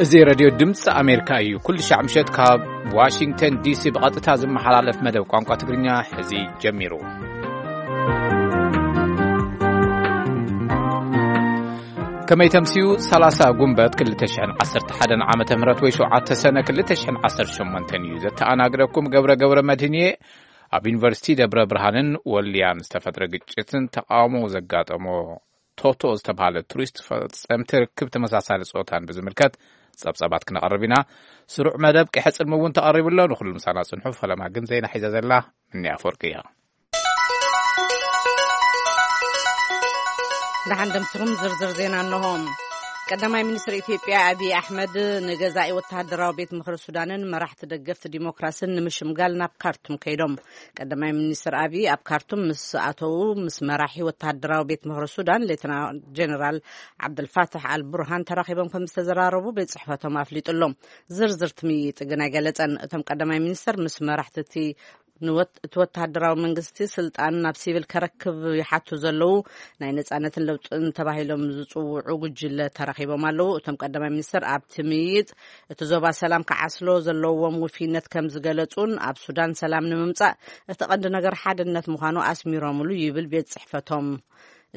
እዚ ሬድዮ ድምፂ ኣሜሪካ እዩ። ኩሉ ሻዕ ምሸት ካብ ዋሽንግተን ዲሲ ብቐጥታ ዝመሓላለፍ መደብ ቋንቋ ትግርኛ ሕዚ ጀሚሩ። ከመይ ተምስዩ? ሰላሳ ጉንበት ክልተ ሽሕን ዓሰርተ ሓደን ዓመተ ምህረት ወይ ሸውዓተ ሰነ ክልተ ሽሕን ዓሰርተ ሸሞንተን እዩ። ዘተኣናግደኩም ገብረ ገብረ መድህን እየ። ኣብ ዩኒቨርሲቲ ደብረ ብርሃንን ወልያን ዝተፈጥረ ግጭትን ተቃውሞ ዘጋጠሞ ቶቶ ዝተባህለ ቱሪስት ፈጸምቲ ርክብ ተመሳሳሊ ጾታን ብዝምልከት ጸብጸባት ክነቐርብ ኢና። ስሩዕ መደብ ቀይሐ ጽልሚ እውን ተቐሪቡ ኣሎ። ንኹሉ ምሳና ጽንሑ። ፈለማ ግን ዜና ሒዛ ዘላ ምኒ ኣፈወርቂ እያ። ደሓን ደምስኹም ዝርዝር ዜና እንሆ። ቀዳማይ ሚኒስትር ኢትዮጵያ ኣብይ ኣሕመድ ንገዛኢ ወተሃደራዊ ቤት ምኽሪ ሱዳንን መራሕቲ ደገፍቲ ዲሞክራስን ንምሽምጋል ናብ ካርቱም ከይዶም። ቀዳማይ ሚኒስትር ኣብይ ኣብ ካርቱም ምስ ኣተዉ፣ ምስ መራሒ ወተሃደራዊ ቤት ምኽሪ ሱዳን ሌተና ጀነራል ዓብደልፋታሕ ኣልቡርሃን ተራኺቦም ከም ዝተዘራረቡ ቤት ጽሕፈቶም ኣፍሊጡ ኣሎ። ዝርዝር ትምይጥ ግን ኣይገለጸን። እቶም ቀዳማይ ሚኒስትር ምስ መራሕቲ እቲ ንወት-፣ እቲ ወተሃደራዊ መንግስቲ ስልጣን ናብ ሲቪል ከረክብ ይሓቱ ዘለዉ ናይ ነጻነትን ለውጥን ተባሂሎም ዝጽውዑ ጉጅለ ተራኺቦም ኣለዉ። እቶም ቀዳማይ ሚኒስትር ኣብቲ ምይይጥ እቲ ዞባ ሰላም ክዓስሎ ዘለዎም ውፍይነት ከም ዝገለጹን ኣብ ሱዳን ሰላም ንምምጻእ እቲ ቀንዲ ነገር ሓድነት ምዃኑ ኣስሚሮምሉ ይብል ቤት ጽሕፈቶም።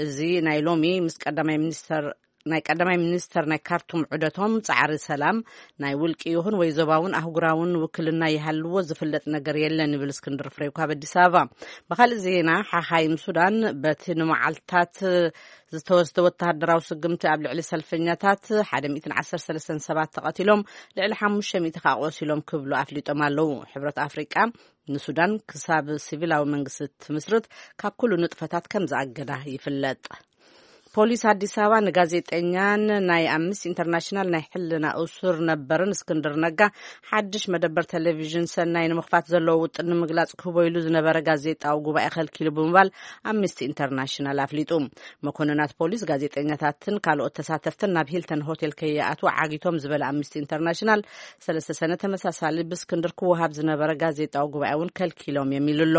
እዚ ናይ ሎሚ ምስ ቀዳማይ ሚኒስተር፣ ናይ ቀዳማይ ሚኒስተር ናይ ካርቱም ዑደቶም ጻዕሪ ሰላም ናይ ውልቂ ይኹን ወይ ዞባውን ኣህጉራውን ውክልና ይሃልዎ ዝፍለጥ ነገር የለን ይብል እስክንድር ፍሬው ካብ ኣዲስ ኣበባ። ብኻልእ ዜና ሓኻይም ሱዳን በቲ ንመዓልታት ዝተወስደ ወተሃደራዊ ስግምቲ ኣብ ልዕሊ ሰልፈኛታት ሓደ ሚእትን ዓሰርተ ሰለስተን ሰባት ተቐቲሎም፣ ልዕሊ ሓሙሽተ ሚእቲ ከኣ ቆሲሎም ክብሉ ኣፍሊጦም ኣለዉ። ሕብረት ኣፍሪቃ ንሱዳን ክሳብ ሲቪላዊ መንግስቲ ትምስርት ካብ ኩሉ ንጥፈታት ከም ዝኣገዳ ይፍለጥ። ፖሊስ ኣዲስ ኣበባ ንጋዜጠኛን ናይ ኣምነስቲ ኢንተርናሽናል ናይ ሕልና እሱር ነበርን እስክንድር ነጋ ሓድሽ መደበር ቴሌቪዥን ሰናይ ንምኽፋት ዘለዎ ውጥን ንምግላጽ ክህቦ ኢሉ ዝነበረ ጋዜጣዊ ጉባኤ ከልኪሉ ብምባል ኣምነስቲ ኢንተርናሽናል ኣፍሊጡ። መኮንናት ፖሊስ ጋዜጠኛታትን ካልኦት ተሳተፍትን ናብ ሂልተን ሆቴል ከይኣትዉ ዓጊቶም ዝበለ ኣምነስቲ ኢንተርናሽናል፣ ሰለስተ ሰነ ተመሳሳሊ ብእስክንድር ክወሃብ ዝነበረ ጋዜጣዊ ጉባኤ እውን ከልኪሎም እዮም ኢሉ ኣሎ።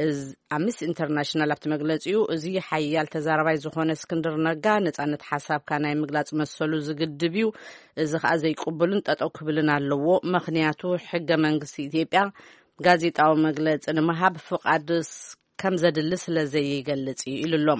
እዚ ኣምነስቲ ኢንተርናሽናል ኣብቲ መግለጺኡ፣ እዚ ሓያል ተዛራባይ ዝኾነ እስክንድር ነጋ ነጻነት ሓሳብካ ናይ ምግላጽ መሰሉ ዝግድብ እዩ። እዚ ከኣ ዘይቅቡልን ጠጠው ክብልን ኣለዎ። ምኽንያቱ ሕገ መንግስቲ ኢትዮጵያ ጋዜጣዊ መግለጺ ንምሃብ ፍቓድ ስ-፣ ከም ዘድሊ ስለ ዘይገልጽ እዩ ኢሉ ኣሎ።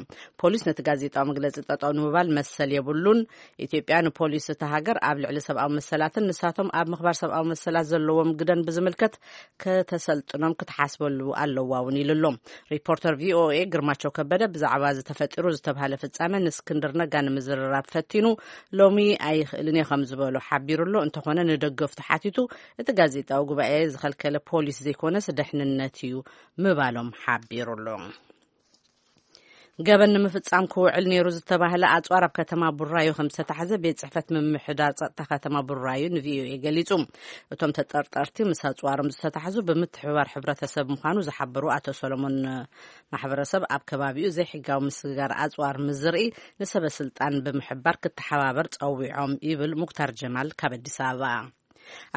ፖሊስ ነቲ ጋዜጣዊ መግለጺ ጠጠው ንምባል መሰል የብሉን። ኢትዮጵያ ንፖሊስ እታ ሃገር ኣብ ልዕሊ ሰብኣዊ መሰላትን ንሳቶም ኣብ ምኽባር ሰብኣዊ መሰላት ዘለዎም ግደን ብዝምልከት ከተሰልጥኖም ክትሓስበሉ ኣለዋ እውን ኢሉ ኣሎ። ሪፖርተር ቪኦኤ ግርማቸው ከበደ ብዛዕባ እዚ ተፈጢሩ ዝተባህለ ፍጻመ ንእስክንድር ነጋ ንምዝርራብ ፈቲኑ፣ ሎሚ ኣይኽእልን እየ ከም ዝበሎ ሓቢሩ ኣሎ። እንተኾነ ንደገፍቱ ሓቲቱ፣ እቲ ጋዜጣዊ ጉባኤ ዝኸልከለ ፖሊስ ዘይኮነስ ደሕንነት እዩ ምባሎም ሓቢሩ ኣሎ። ገበን ንምፍጻም ክውዕል ነይሩ ዝተባህለ ኣጽዋር ኣብ ከተማ ቡራዩ ከም ዝተታሕዘ ቤት ጽሕፈት ምምሕዳር ጸጥታ ከተማ ቡራዩ ንቪኦኤ ገሊጹ። እቶም ተጠርጠርቲ ምስ ኣጽዋሮም ዝተታሕዙ ብምትሕብባር ሕብረተሰብ ምዃኑ ዝሓበሩ ኣቶ ሰሎሞን፣ ማሕበረሰብ ኣብ ከባቢኡ ዘይሕጋዊ ምስግጋር ኣጽዋር ምስ ዝርኢ ንሰበ ስልጣን ብምሕባር ክተሓባበር ጸዊዖም ይብል ሙክታር ጀማል ካብ ኣዲስ ኣበባ።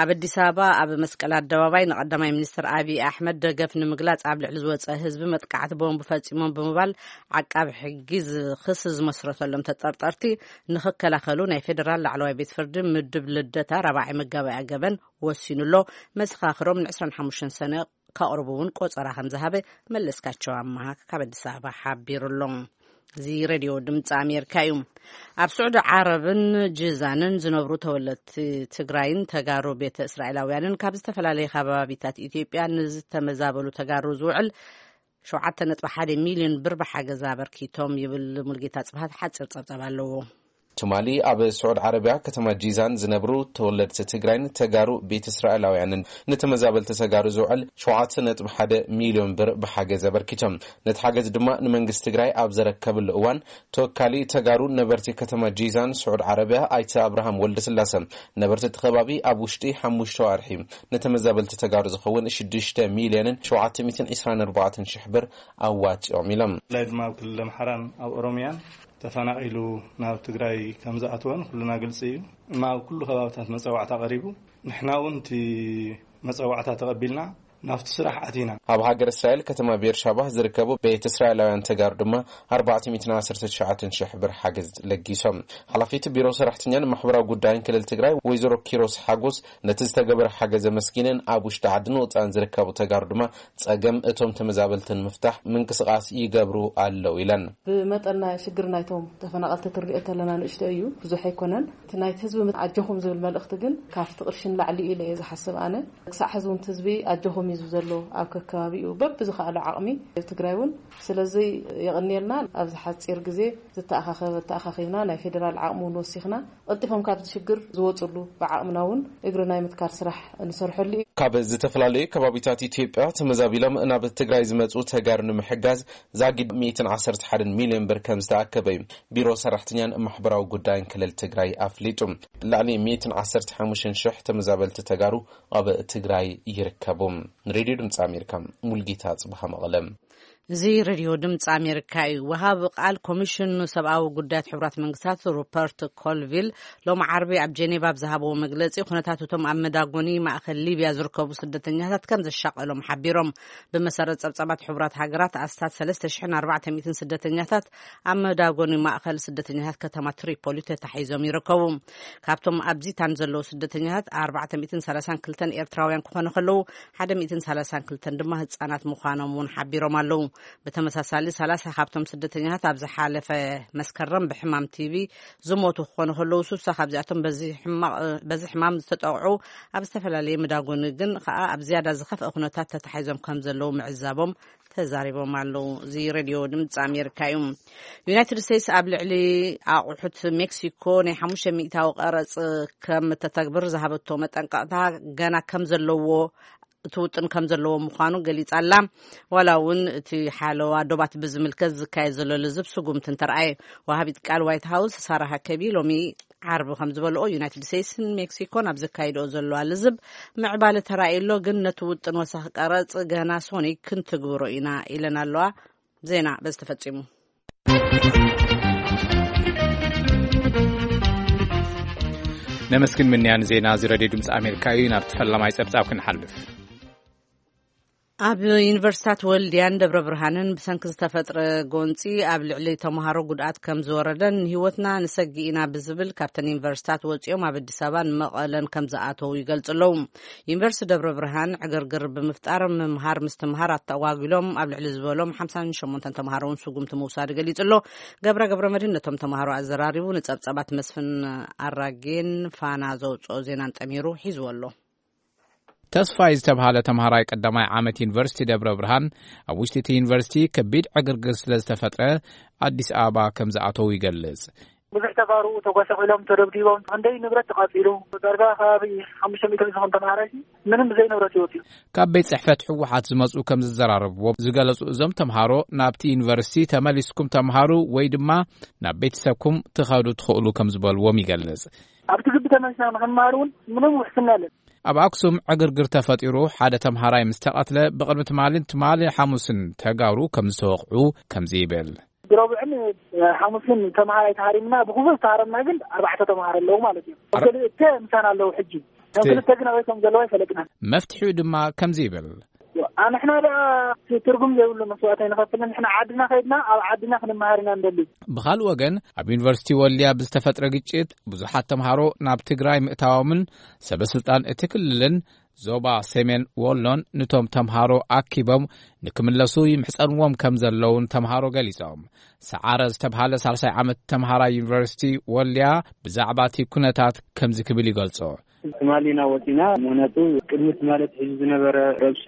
ኣብ ኣዲስ ኣበባ ኣብ መስቀል ኣደባባይ ንቀዳማይ ሚኒስትር ኣብይ ኣሕመድ ደገፍ ንምግላጽ ኣብ ልዕሊ ዝወጸ ህዝቢ መጥቃዕቲ ቦምብ ፈጺሞም ብምባል ዓቃቢ ሕጊ ዝ-፣ ክሲ ዝመስረተሎም ተጠርጠርቲ ንኽከላኸሉ ናይ ፌዴራል ላዕለዋይ ቤት ፍርዲ ምድብ ልደታ ራብዓይ መጋባእያ ገበን ወሲኑ ኣሎ። መሰኻኽሮም ን ዕስራን ሓሙሽተን ሰነ ከቕርቡ እውን ቆጸራ ከም ዝሃበ መለስካቸው ኣመሃ ካብ ኣዲስ ኣበባ ሓቢሩ ኣሎ። እዚ ሬድዮ ድምፂ ኣሜሪካ እዩ። ኣብ ስዑዲ ዓረብን ጂዛንን ዝነብሩ ተወለድቲ ትግራይን ተጋሩ ቤተ እስራኤላውያንን ካብ ዝተፈላለዩ ከባቢታት ኢትዮጵያ ንዝተመዛበሉ ተጋሩ ዝውዕል ሸውዓተ ነጥቢ ሓደ ሚልዮን ብር ብሓገዝ ኣበርኪቶም ይብል። ሙልጌታ ጽብሃት ሓፂር ጸብጻብ ኣለዎ። ትማሊ ኣብ ስዑድ ዓረብያ ከተማ ጂዛን ዝነብሩ ተወለድቲ ትግራይን ተጋሩ ቤተ እስራኤላውያንን ንተመዛበልቲ ተጋሩ ዝውዕል ሸውዓተ ነጥቢ ሓደ ሚልዮን ብር ብሓገዝ ኣበርኪቶም። ነቲ ሓገዝ ድማ ንመንግስቲ ትግራይ ኣብ ዘረከብሉ እዋን፣ ተወካሊ ተጋሩ ነበርቲ ከተማ ጂዛን ስዑድ ዓረብያ ኣይተ ኣብርሃም ወልደስላሰ፣ ነበርቲ እቲ ከባቢ ኣብ ውሽጢ ሓሙሽተ ኣዋርሒ ንተመዛበልቲ ተጋሩ ዝኸውን ሽዱሽተ ሚልዮንን ሸውዓተ ሚእትን ዕስራን ኣርባዕተን ሽሕ ብር ኣዋፂኦም ኢሎም። ብፍላይ ድማ ኣብ ክልል ኣምሓራን ኣብ ኦሮምያን ተፈናቒሉ ናብ ትግራይ ከም ዝኣተወን ኩልና ግልፂ እዩ። እማ ኣብ ኩሉ ከባብታት መፀዋዕታ ቀሪቡ፣ ንሕና እውን እቲ መፀዋዕታ ተቐቢልና ናብቲ ስራሕ ኣቲና። ኣብ ሃገር እስራኤል ከተማ ቤርሻባ ዝርከቡ ቤት እስራኤላውያን ተጋሩ ድማ ኣርባዕተ ሚእትን ዓሰርተ ትሽዓተ ሽሕ ብር ሓገዝ ለጊሶም። ሓላፊት ቢሮ ሰራሕተኛን ማሕበራዊ ጉዳይን ክልል ትግራይ ወይዘሮ ኪሮስ ሓጎስ ነቲ ዝተገበረ ሓገዝ ኣመስጊነን፣ ኣብ ውሽጢ ዓድን ወፃእን ዝርከቡ ተጋሩ ድማ ጸገም እቶም ተመዛበልትን ምፍታሕ ምንቅስቃስ ይገብሩ ኣለዉ ኢለን። ብመጠን ናይ ሽግር ናይቶም ተፈናቐልቲ ክንሪኦ ተለና ንእሽቶ እዩ፣ ብዙሕ ኣይኮነን። እቲ ናይቲ ህዝቢ ኣጆኹም ዝብል መልእኽቲ ግን ካብቲ ቅርሺ ንላዕሊ እዩ ኢለ እየ ዝሓስብ ኣነ። ክሳዕ ሕዚ እውን እቲ ህዝቢ ኣጆኹም እዩ ዝብል ዘሎ ኣብ ከከባቢኡ በብዝኸኣሎ ዓቕሚ ትግራይ እውን። ስለዚ የቐንየልና። ኣብዚ ሓፂር ግዜ ዝተኣኻኸበ ተኣኻኺብና ናይ ፌዴራል ዓቕሚ እውን ወሲኽና ቀልጢፎም ካብዚ ሽግር ዝወፅሉ ብዓቕምና እውን እግሪ ናይ ምትካል ስራሕ ንሰርሐሉ እዩ። ካብ ዝተፈላለዩ ከባቢታት ኢትዮጵያ ተመዛቢሎም ናብ ትግራይ ዝመፁ ተጋሩ ንምሕጋዝ ዛጊድ ሚእትን ዓሰርተ ሓደን ሚልዮን ብር ከም ዝተኣከበ እዩ ቢሮ ሰራሕተኛን ማሕበራዊ ጉዳይን ክልል ትግራይ ኣፍሊጡ። ልዕሊ ሚእትን ዓሰርተ ሓሙሽተን ሽሕ ተመዛበልቲ ተጋሩ ኣብ ትግራይ ይርከቡ። ንሬድዮ ድምፂ ኣሜሪካ፣ ሙልጌታ ጽብሃ መቐለ። እዚ ሬድዮ ድምፂ ኣሜሪካ እዩ። ወሃቢ ቃል ኮሚሽን ሰብኣዊ ጉዳያት ሕቡራት መንግስታት ሩፐርት ኮልቪል ሎም ዓርቢ ኣብ ጀኔቫ ኣብ ዝሃብዎ መግለፂ፣ ኩነታት እቶም ኣብ መዳጎኒ ማእኸል ሊብያ ዝርከቡ ስደተኛታት ከም ዘሻቐሎም ሓቢሮም። ብመሰረት ጸብጻባት ሕቡራት ሃገራት፣ ኣስታት ሰለስተ ሽሕን ኣርባዕተ ሚእትን ስደተኛታት ኣብ መዳጎኒ ማእኸል ስደተኛታት ከተማ ትሪፖሊ ተታሒዞም ይርከቡ። ካብቶም ኣብ ዚታን ዘለዉ ስደተኛታት፣ ኣርባዕተ ሚእትን ሰላሳን ክልተን ኤርትራውያን ክኾኑ ከለዉ፣ ሓደ ሚእትን ሰላሳን ክልተን ድማ ህጻናት ምዃኖም እውን ሓቢሮም ኣለዉ። ብተመሳሳሊ፣ ሰላሳ ካብቶም ስደተኛታት ኣብ ዝሓለፈ መስከረም ብሕማም ቲቪ ዝሞቱ ክኾኑ ከለዉ፣ ስሳ ካብዚኣቶም በዚ ሕማቕ-፣ በዚ ሕማም ዝተጠቕዑ ኣብ ዝተፈላለየ መዳጎኒ ግን ከኣ ኣብ ዝያዳ ዝኸፍአ ኩነታት ተታሒዞም ከም ዘለዉ ምዕዛቦም ተዛሪቦም ኣለዉ። እዚ ሬድዮ ድምፂ ኣሜሪካ እዩ። ዩናይትድ ስቴትስ ኣብ ልዕሊ ኣቑሑት ሜክሲኮ ናይ ሓሙሽተ ሚእታዊ ቀረፅ ከም እተተግብር ዝሃበቶ መጠንቀቕታ ገና ከም ዘለዎ፣ እቲ ውጥን ከም ዘለዎ ምዃኑ ገሊጻ ኣላ። ዋላ እውን እቲ ሓለዋ ዶባት ብዝምልከት ዝካየድ ዘሎ ልዝብ ስጉምቲ እንተረኣየ፣ ወሃቢት ቃል ዋይት ሃውስ ሳራ ሃከቢ ሎሚ ዓርቢ ከም ዝበልኦ፣ ዩናይትድ ስቴትስን ሜክሲኮን ኣብ ዘካይድኦ ዘለዋ ልዝብ ምዕባለ ተራእዩ ኣሎ፣ ግን ነቲ ውጥን ወሳኺ ቀረጽ ገና ሶኒ ክንትግብሮ ኢና ኢለን ኣለዋ። ዜና በዚ ተፈጺሙ። ነመስግን ምንያን ዜና እዚ ሬድዮ ድምፂ ኣሜሪካ እዩ። ናብቲ ፈላማይ ጸብጻብ ክንሓልፍ። ኣብ ዩኒቨርሲታት ወልድያን ደብረ ብርሃንን ብሰንኪ ዝተፈጥረ ጎንፂ ኣብ ልዕሊ ተምሃሮ ጉድኣት ከም ዝወረደን ንህይወትና ንሰጊ ኢና ብዝብል ካብተን ዩኒቨርሲታት ወፂኦም ኣብ ኣዲስ ኣበባን መቐለን ከም ዝኣተዉ ይገልፁ ኣለዉ። ዩኒቨርሲቲ ደብረ ብርሃን ዕግርግር ብምፍጣር ምምሃር ምስትምሃር ኣተጓጒሎም ኣብ ልዕሊ ዝበሎም ሓምሳን ሸሞንተን ተምሃሮ እውን ስጉምቲ ምውሳዱ ገሊፁ ኣሎ። ገብረ ገብረ መድህን ነቶም ተምሃሮ ኣዘራሪቡ ንፀብፀባት መስፍን ኣራጌን ፋና ዘውፅኦ ዜናን ጠሚሩ ሒዝዎ ኣሎ። ተስፋይ ዝተብሃለ ተምሃራይ ቀዳማይ ዓመት ዩኒቨርሲቲ ደብረ ብርሃን ኣብ ውሽጢ እቲ ዩኒቨርሲቲ ከቢድ ዕግርግር ስለ ዝተፈጥረ ኣዲስ ኣበባ ከም ዝኣተዉ ይገልጽ። ብዙሕ ተጋሩ ተጓሳቒሎም፣ ተደብዲቦም፣ ክንደይ ንብረት ተቓጺሉ፣ ዳርጋ ከባቢ ሓሙሽተ ሚእቲ ዝኸውን ተምሃራይ ምንም ብዘይ ንብረት ይወጽኡ። ካብ ቤት ጽሕፈት ህወሓት ዝመጹ ከም ዝዘራረብዎ ዝገለጹ እዞም ተምሃሮ፣ ናብቲ ዩኒቨርሲቲ ተመሊስኩም ተምሃሩ ወይ ድማ ናብ ቤተሰብኩም ትኸዱ ትኽእሉ ከም ዝበልዎም ይገልጽ። ኣብቲ ግቢ ተመሊስና ንኽንመሃር እውን ምንም ውሕስና የለን። ኣብ ኣክሱም ዕግርግር ተፈጢሩ ሓደ ተምሃራይ ምስ ተቐትለ፣ ብቕድሚ ትማልን ትማሊ ሓሙስን ተጋሩ ከም ዝተወቕዑ ከምዚ ይብል። ብረቡዕን ሓሙስን ተምሃራይ ተሃሪምና፣ ብኹሉ ዝተሃረምና ግን ኣርባዕተ ተምሃሮ ኣለዉ ማለት እዩ። ኣር- ክልተ ምሳና ኣለዉ ሕጂ። እቶም ክልተ ግን ኣበይ ከም ዘለዉ ኣይፈለጥናን። መፍትሒኡ ድማ ከምዚ ይብል። ኣንሕና ደኣ ትርጉም ዘይብሉ መስዋእቲ ኣይንኸፍልን። ንሕና ዓድና ከይድና ኣብ ዓድና ክንመሃር ኢና ንደሊ። ብኻልእ ወገን፣ ኣብ ዩኒቨርሲቲ ወልድያ ብዝተፈጥረ ግጭት ብዙሓት ተምሃሮ ናብ ትግራይ ምእታዎምን ሰበ ስልጣን እቲ ክልልን ዞባ ሰሜን ወሎን ንቶም ተምሃሮ ኣኪቦም ንክምለሱ ይምሕጸንዎም ከም ዘለውን ተምሃሮ ገሊጾም። ሰዓረ ዝተብሃለ ሳልሳይ ዓመት ተምሃራይ ዩኒቨርሲቲ ወልድያ ብዛዕባ እቲ ኩነታት ከምዚ ክብል ይገልጾ። ትማሊ ኢና ወፂና። ምክንያቱ ቅድሚ ትማሊ ኣትሒዙ ዝነበረ ረብሻ፣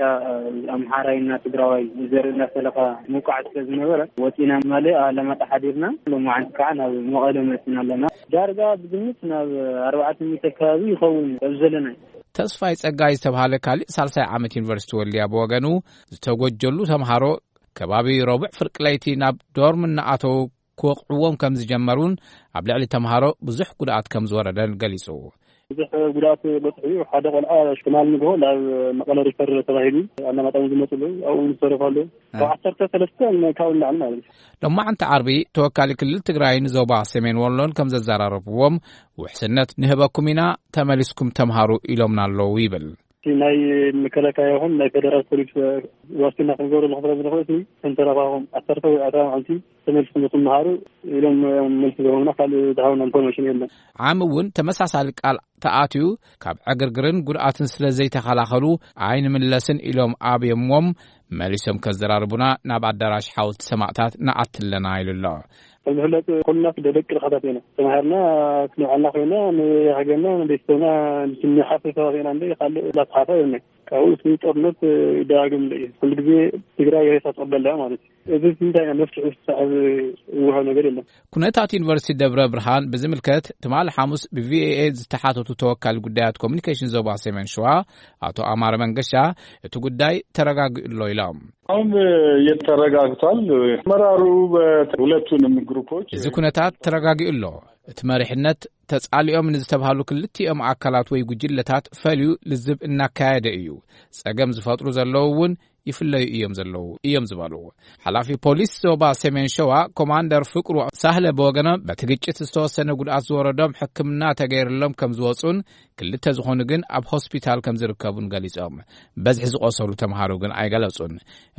ኣምሓራይና ትግራዋይ ዘርኢ እንዳፈለኻ ምውቃዕ ስለ ዝነበረ፣ ወፂና ትማሊ ኣላማጣ ሓዲርና፣ ሎማዓንቲ ከዓ ናብ መቐለ መፂና ኣለና። ዳርጋ ብግምት ናብ ኣርባዕተ ሚእቲ ከባቢ ይኸውን ኣብ ዘለና። ተስፋይ ጸጋይ ዝተብሃለ ካልእ ሳልሳይ ዓመት ዩኒቨርሲቲ ወልድያ ብወገኑ፣ ዝተጎጀሉ ተምሃሮ ከባቢ ረቡዕ ፍርቂ ለይቲ ናብ ዶርም እናኣተዉ ክወቕዕዎም ከም ዝጀመሩን ኣብ ልዕሊ ተምሃሮ ብዙሕ ጉድኣት ከም ዝወረደን ገሊጹ። ብዙሕ ጉድኣት በፅሑ እዩ። ሓደ ቆልዓ ትማሊ ንግሆ ናብ መቐለ ሪፈር ተባሂሉ ኣላማጣ እውን ዝመፁ ኣለዉ። ኣብኡ እውን ዝተረፉ ኣለዉ። ካብ ዓሰርተ ሰለስተ ካብኡ ንላዕሊ ማለት እዩ። ሎማዓንቲ ዓርቢ ተወካሊ ክልል ትግራይን ዞባ ሰሜን ወሎን ከም ዘዘራረብዎም፣ ውሕስነት ንህበኩም ኢና፣ ተመሊስኩም ተምሃሩ ኢሎምና ኣለዉ ይብል። ናይ መከላከያ ይኹን ናይ ፌደራል ፖሊስ ዋስትና ክንገብረሉ ክፍረም ንኽእል፣ ተንተረፋኹም ዓሰርተ ወይ ኣርባዓ መዓልቲ ተመልስኩም ክትመሃሩ ኢሎም መልሲ ዝህቡና። ካልእ ዝሃቡና ኢንፎርሜሽን የለን። ዓሚ እውን ተመሳሳሊ ቃል ተኣትዩ፣ ካብ ዕግርግርን ጉድኣትን ስለ ዘይተኸላኸሉ ኣይንምለስን ኢሎም ኣብዮምዎም፣ መሊሶም ከዘራርቡና ናብ ኣዳራሽ ሓወልቲ ሰማእታት ንኣትለና ኢሉ ኣሎ። ከም ዝፍለጥ ኩልና ደቂ ድኻታት ኢና። ተማሂርና ክንብዓልና ኮይና ንሃገርና ንቤተሰብና ንሓፍር ሰባት ኢና እንደ ካልእ ላስሓፋ የብልናይ። ካብኡ እቲ ጦርነት ይደጋግም እንደ እዩ። ኩሉ ግዜ ትግራይ ሬሳ ትቕበል እያ ማለት እዩ። እዚ እንታይ መፍትሒ ዝሰዕብ ዝወሃብ ነገር የለን። ኩነታት ዩኒቨርሲቲ ደብረ ብርሃን ብዝምልከት ትማሊ ሓሙስ ብቪኦኤ ዝተሓተቱ ተወካሊ ጉዳያት ኮሚኒኬሽን ዞባ ሰሜን ሸዋ ኣቶ ኣማረ መንገሻ እቲ ጉዳይ ተረጋጊኡ ኣሎ ኢሎም። አሁን የተረጋግቷል። አመራሩ በሁለቱንም ግሩፖች እዚ ኩነታት ተረጋጊኡ ኣሎ። እቲ መሪሕነት ተጻሊኦም ንዝተባሃሉ ክልቲኦም ኣካላት ወይ ጉጅለታት ፈልዩ ልዝብ እናካየደ እዩ። ጸገም ዝፈጥሩ ዘለዉ እውን ይፍለዩ እዮም ዘለዉ እዮም ዝበሉ ሓላፊ ፖሊስ ዞባ ሰሜን ሸዋ ኮማንደር ፍቅሩ ሳህለ ብወገኖም በቲ ግጭት ዝተወሰነ ጉድኣት ዝወረዶም ሕክምና ተገይርሎም ከም ዝወጹን ክልተ ዝኾኑ ግን ኣብ ሆስፒታል ከም ዝርከቡን ገሊጾም። በዝሒ ዝቆሰሉ ተምሃሮ ግን ኣይገለጹን።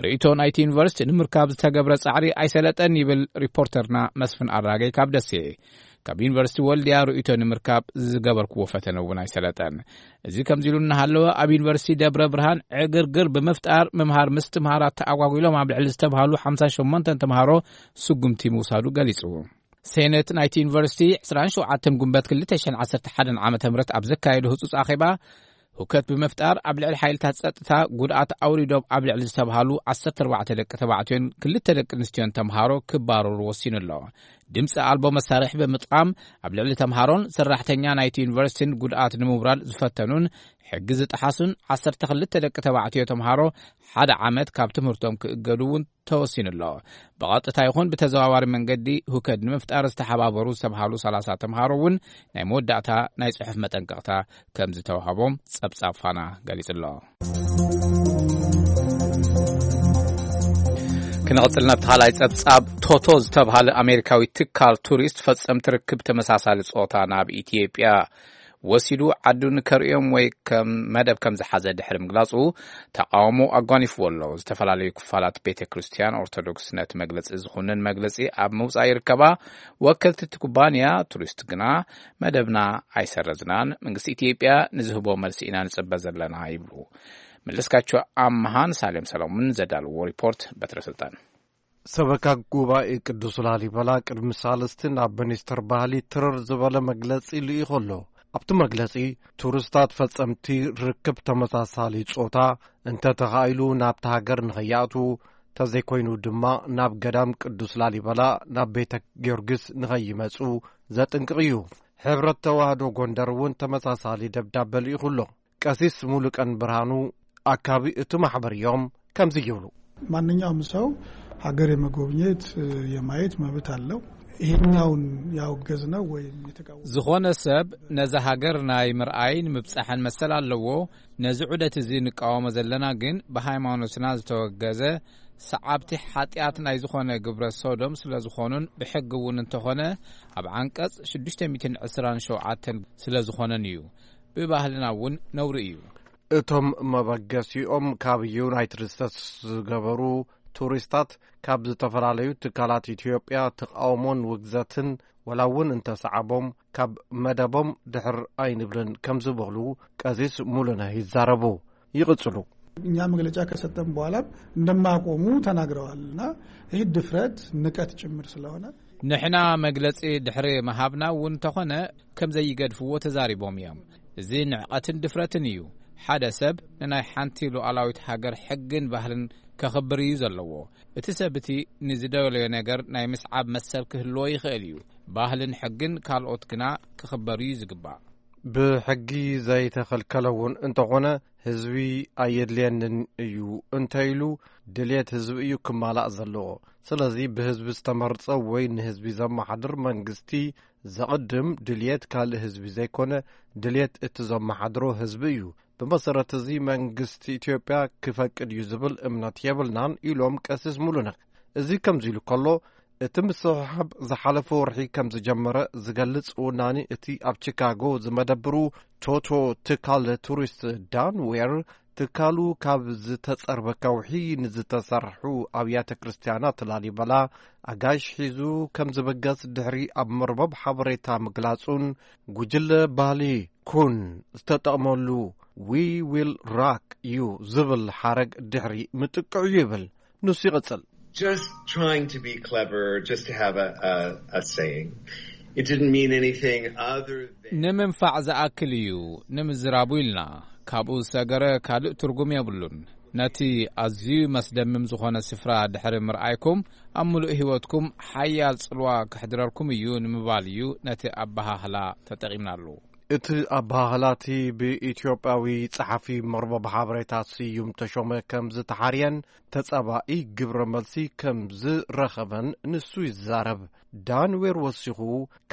ርእይቶ ናይቲ ዩኒቨርሲቲ ንምርካብ ዝተገብረ ጻዕሪ ኣይሰለጠን ይብል ሪፖርተርና መስፍን ኣራገይ ካብ ደሴ። ካብ ዩኒቨርሲቲ ወልድያ ርእይቶ ንምርካብ ዝገበርክዎ ፈተነ እውን ኣይሰለጠን። እዚ ከምዚ ኢሉ እናሃለወ ኣብ ዩኒቨርሲቲ ደብረ ብርሃን ዕግርግር ብምፍጣር ምምሃር ምስትምሃር ኣተኣጓጒሎም ኣብ ልዕሊ ዝተብሃሉ ሓምሳ ሸሞንተ ተምሃሮ ስጉምቲ ምውሳዱ ገሊጹ። ሴኔት ናይቲ ዩኒቨርሲቲ ዕስራን ሸውዓተን ጉንበት ክልተ ሽሕን ዓሰርተ ሓደን ዓመተ ምህረት ኣብ ዘካየዶ ህጹጽ ኣኼባ፣ ሁከት ብምፍጣር ኣብ ልዕሊ ሓይልታት ጸጥታ ጉድኣት ኣውሪዶም ኣብ ልዕሊ ዝተብሃሉ ዓሰርተ ኣርባዕተ ደቂ ተባዕትዮን ክልተ ደቂ ኣንስትዮን ተምሃሮ ክባረሩ ወሲኑ ኣሎ። ድምፂ ኣልቦ መሳርሒ ብምጥቃም ኣብ ልዕሊ ተምሃሮን ሰራሕተኛ ናይቲ ዩኒቨርሲቲን ጉድኣት ንምውራድ ዝፈተኑን ሕጊ ዝጠሓሱን ዓሰርተ ክልተ ደቂ ተባዕትዮ ተምሃሮ ሓደ ዓመት ካብ ትምህርቶም ክእገዱ እውን ተወሲኑ ኣሎ። ብቐጥታ ይኹን ብተዘዋዋሪ መንገዲ ሁከት ንምፍጣር ዝተሓባበሩ ዝተብሃሉ ሰላሳ ተምሃሮ እውን ናይ መወዳእታ ናይ ጽሑፍ መጠንቀቕታ ከም ዝተዋህቦም ጸብጻብ ፋና ገሊጹ ኣሎ። ክንቕጽል ናብቲ ካልኣይ ጸብጻብ። ቶቶ ዝተብሃለ ኣሜሪካዊ ትካል ቱሪስት ፈጸምቲ ርክብ ተመሳሳሊ ጾታ ናብ ኢትዮጵያ ወሲዱ ዓዱ ንከርእዮም ወይ ከም መደብ ከም ዝሓዘ ድሕሪ ምግላጹ ተቃውሞ ኣጓኒፍዎ ኣሎ። ዝተፈላለዩ ክፋላት ቤተ ክርስቲያን ኦርቶዶክስ ነቲ መግለጺ ዝኹንን መግለጺ ኣብ ምውጻእ ይርከባ። ወከልቲ እቲ ኩባንያ ቱሪስት ግና መደብና ኣይሰረዝናን፣ መንግስቲ ኢትዮጵያ ንዝህቦ መልሲ ኢና ንጽበ ዘለና ይብሉ። መለስካቸው ኣምሃን ሳሌም ሰሎሞን ዘዳልዎ ሪፖርት በትረ ስልጣን። ሰበካ ጉባኤ ቅዱስ ላሊበላ ቅድሚ ሳልስቲ ናብ ሚኒስትር ባህሊ ትርር ዝበለ መግለጺ ልኢኹ ኣሎ። ኣብቲ መግለጺ ቱሪስታት ፈጸምቲ ርክብ ተመሳሳሊ ጾታ እንተ ተኻኢሉ ናብቲ ሃገር ንኸይኣትዉ፣ ተዘይኮይኑ ድማ ናብ ገዳም ቅዱስ ላሊበላ ናብ ቤተ ጊዮርጊስ ንኸይመጹ ዘጥንቅቕ እዩ። ሕብረት ተዋህዶ ጎንደር እውን ተመሳሳሊ ደብዳበ ልኢኹ ኣሎ። ቀሲስ ሙሉቀን ብርሃኑ ኣካቢ እቲ ማሕበር እዮም ከምዚ ይብሉ። ማንኛውም ሰው ሀገር የመጎብኘት፣ የማየት መብት አለው። ይሄኛውን ያወገዝነው ወይም የተቃወምነው ዝኾነ ሰብ ነዛ ሃገር ናይ ምርኣይን ምብጻሕን መሰል ኣለዎ። ነዚ ዑደት እዚ ንቃወሞ ዘለና ግን ብሃይማኖትና ዝተወገዘ ሰዓብቲ ሓጢኣት ናይ ዝኾነ ግብረ ሶዶም ስለ ዝኾኑን ብሕጊ እውን እንተኾነ ኣብ ዓንቀጽ ሽዱሽተ ሚእትን ዕስራን ሸውዓተን ስለ ዝኾነን እዩ። ብባህልና እውን ነውሪ እዩ። እቶም መበገሲኦም ካብ ዩናይትድ ስቴትስ ዝገበሩ ቱሪስታት ካብ ዝተፈላለዩ ትካላት ኢትዮጵያ ተቃውሞን ውግዘትን ወላ እውን እንተሰዓቦም ካብ መደቦም ድሕር ኣይንብልን ከም ዝበሉ ቀሲስ ሙሉነህ ይዛረቡ። ይቕጽሉ። እኛ መግለጫ ከሰጠን በኋላ እንደማያቆሙ ተናግረዋል እና ይህ ድፍረት ንቀት ጭምር ስለሆነ ንሕና መግለጺ ድሕሪ ምሃብና እውን እንተኾነ ከም ዘይገድፍዎ ተዛሪቦም እዮም። እዚ ንዕቐትን ድፍረትን እዩ። ሓደ ሰብ ንናይ ሓንቲ ሉዓላዊት ሃገር ሕግን ባህልን ከኽብር እዩ ዘለዎ። እቲ ሰብ እቲ ንዝደለዮ ነገር ናይ ምስዓብ መሰል ክህልዎ ይኽእል እዩ። ባህልን ሕግን ካልኦት ግና ክኽበሩ እዩ ዝግባእ። ብሕጊ ዘይተኸልከለ እውን እንተኾነ ህዝቢ ኣየድልየንን እዩ እንተ ኢሉ ድልየት ህዝቢ እዩ ክማላእ ዘለዎ። ስለዚ ብህዝቢ ዝተመርጸ ወይ ንህዝቢ ዘመሓድር መንግስቲ ዘቕድም ድልየት ካልእ ህዝቢ ዘይኮነ ድልየት እቲ ዘመሓድሮ ህዝቢ እዩ። ብመሰረት እዚ መንግስቲ ኢትዮጵያ ክፈቅድ እዩ ዝብል እምነት የብልናን ኢሎም ቀሲስ ሙሉነህ። እዚ ከምዚ ኢሉ ከሎ እቲ ምስሕሓብ ዝሓለፈ ወርሒ ከም ዝጀመረ ዝገልጽ ውናኒ እቲ ኣብ ቺካጎ ዝመደብሩ ቶቶ ትካል ቱሪስት ዳን ዌር፣ ትካሉ ካብ ዝተጸርበ ከውሒ ንዝተሰርሑ ኣብያተ ክርስቲያናት ላሊበላ ኣጋይሽ ሒዙ ከም ዝበገስ ድሕሪ ኣብ መርበብ ሓበሬታ ምግላጹን፣ ጉጅለ ባህሊ ኩን ዝተጠቕመሉ "We will rock you" ዝብል ሓረግ ድሕሪ ምጥቅዑ ይብል። ንሱ ይቕጽል። Just trying to be clever, just to have a, a, a saying. It didn't mean anything other than ንምንፋዕ ዝኣክል እዩ ንምዝራቡ ኢልና። ካብኡ ዝሰገረ ካልእ ትርጉም የብሉን። ነቲ ኣዝዩ መስደምም ዝኾነ ስፍራ ድሕሪ ምርኣይኩም፣ ኣብ ምሉእ ህይወትኩም ሓያል ጽልዋ ከሕድረልኩም እዩ ንምባል እዩ ነቲ ኣበሃህላ ተጠቒምናሉ። እቲ ኣበሃህላ እቲ ብኢትዮጵያዊ ጸሓፊ መርበብ ሓበሬታ ስዩም ተሾመ ከም ዝተሓርየን ተጻባኢ ግብረ መልሲ ከም ዝረኸበን ንሱ ይዛረብ። ዳንዌር ወሲኹ፣